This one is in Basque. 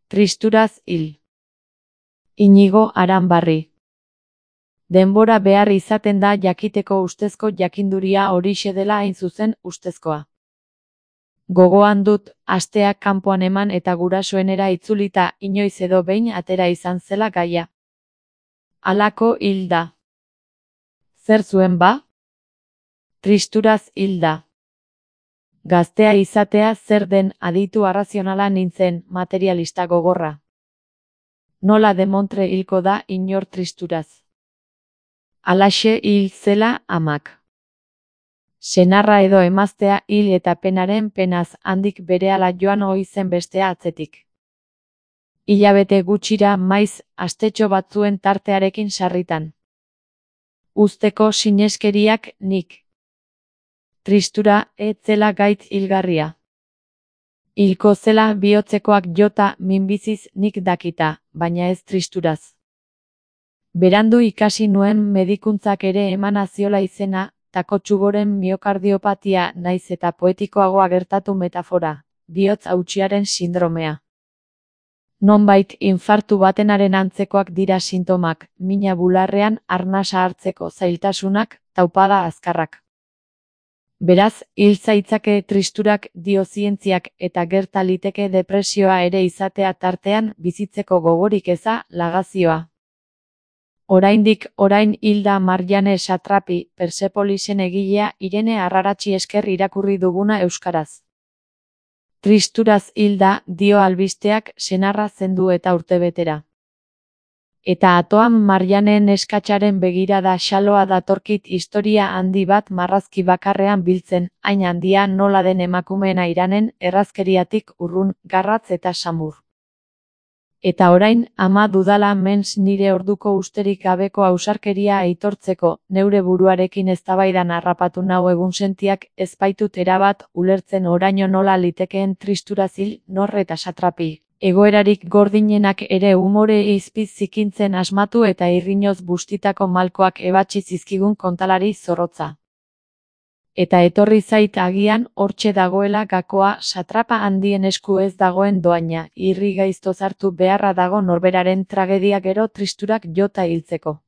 Tristuraz hil. Inigo Aranbarri. Denbora behar izaten da jakiteko ustezko jakinduria horixe dela hain zuzen ustezkoa. Gogoan dut, asteak kanpoan eman eta gurasoenera itzulita inoiz edo behin atera izan zela gaia. Halako hil da. Zer zuen ba? Tristuraz hil da. Gaztea izatea zer den aditu arrazionala nintzen, materialista gogorra. Nola demontre hilko da inor tristuraz. Halaxe hil zela amak. Senarra edo emaztea hil eta penaren penaz handik berehala joan ohi zen bestea atzetik. Hilabete gutxira maiz astetxo batzuen tartearekin sarritan. Uzteko sineskeriak nik. Tristura ez zela gaitz hilgarria. Hilko zela bihotzekoak jota minbiziz nik dakita, baina ez tristuraz. Berandu ikasi nuen medikuntzak ere emana ziola izena, takotsugoren miokardiopatia naiz eta poetikoagoa gertatu metafora, bihotz hautsiaren sindromea. Nonbait infartu batenaren antzekoak dira sintomak, mina bularrean arnasa hartzeko zailtasunak, taupada azkarrak. Beraz, hil zaitzake tristurak dio zientziak eta gerta liteke depresioa ere izatea tartean bizitzeko gogorik eza lagazioa. Orain hilda Marjane Satrapi, Persepolisen egilea Irene Arraratsi esker irakurri duguna euskaraz. Tristuraz hilda, dio albisteak, senarra zendu eta urtebetera. Eta atoan Marjanen eskatsaren begirada xaloa datorkit historia handi bat marrazki bakarrean biltzen, hain handia nola den emakumeena iranen errazkeriatik urrun, garratz eta samur. Eta orain, ama dudala mens nire orduko usterik gabeko ausarkeria aitortzeko, neure buruarekin eztabaidan harrapatu nau egunsentiak ez baitut erabat ulertzen oraino nola litekeen tristuraz hil nor eta Satrapi. Egoerarik gordinenak ere umore izpiz zikintzen asmatu eta irrinoz bustitako malkoak ebatsi zizkigun kontalari zorrotza. Eta etorri zait agian hortxe dagoela gakoa satrapa handien esku ez dagoen doaina, irri gaiztoz hartu beharra dago norberaren tragedia gero tristurak jota hiltzeko.